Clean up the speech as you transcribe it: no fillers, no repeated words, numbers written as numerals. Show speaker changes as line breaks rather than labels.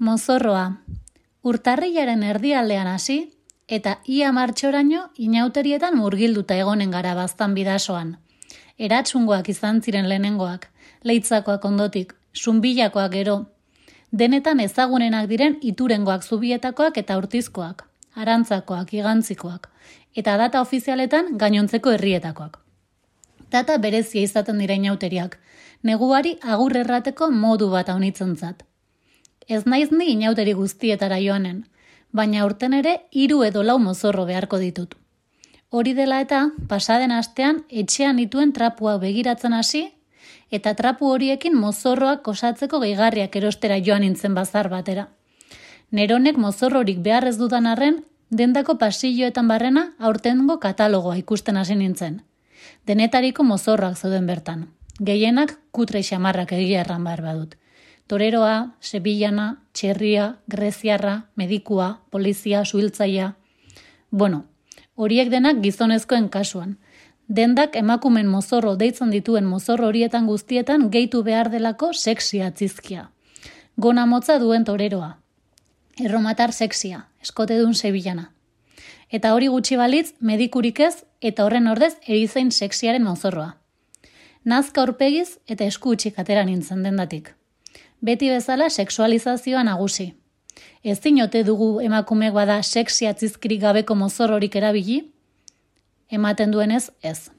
Mozorroa. Urtarrilaren erdialdean hasi eta ia martxoraino inauterietan murgilduta egonen gara baztan bidasoan. Eratsungoak izan ziren lehenengoak, leitzakoak ondotik, zunbilakoak gero. Denetan ezagunenak diren iturengoak zubietakoak eta urtizkoak, arantzakoak, igantzikoak, eta data ofizialetan gainontzeko herrietakoak. Data berezia izaten dira inauteriak, neguari agur errateko modu bat haunitzentzat. Ez naiz ni inauteri guztietara joanen, baina aurten ere 3 edo 4 mozorro beharko ditut. Hori dela eta, pasaden astean etxean dituen trapuak begiratzen hasi, eta trapu horiekin mozorroak osatzeko gehigarriak erostera joan nintzen bazar batera. Neronek mozorrorik behar ez dudan arren, dendako pasilloetan barrena aurtengo katalogoa ikusten hasi nintzen. Denetariko mozorroak zeuden bertan. Gehienak kutre xamarrak egia erran behar badut. Toreroa, sebillana, txerria, greziarra, medikua, polizia, suhiltzaia. Bueno, horiek denak gizonezkoen kasuan. Dendak emakumen mozorro deitzen dituen mozorro horietan guztietan gehitu behar delako sexia atzizkia. Gona motza duen toreroa. Erromatar sexia, eskotedun sebillana. Eta hori gutxi balitz, medikurik ez eta horren ordez erizain sexiaren mozorroa. Nazka aurpegiz eta esku utxik atera nintzen dendatik. Beti bezala sexualizazioa nagusi. Ezin ote dugu emakumeek bada sexia atzizkirik gabeko mozorrorik erabili? Ematen duenez ez.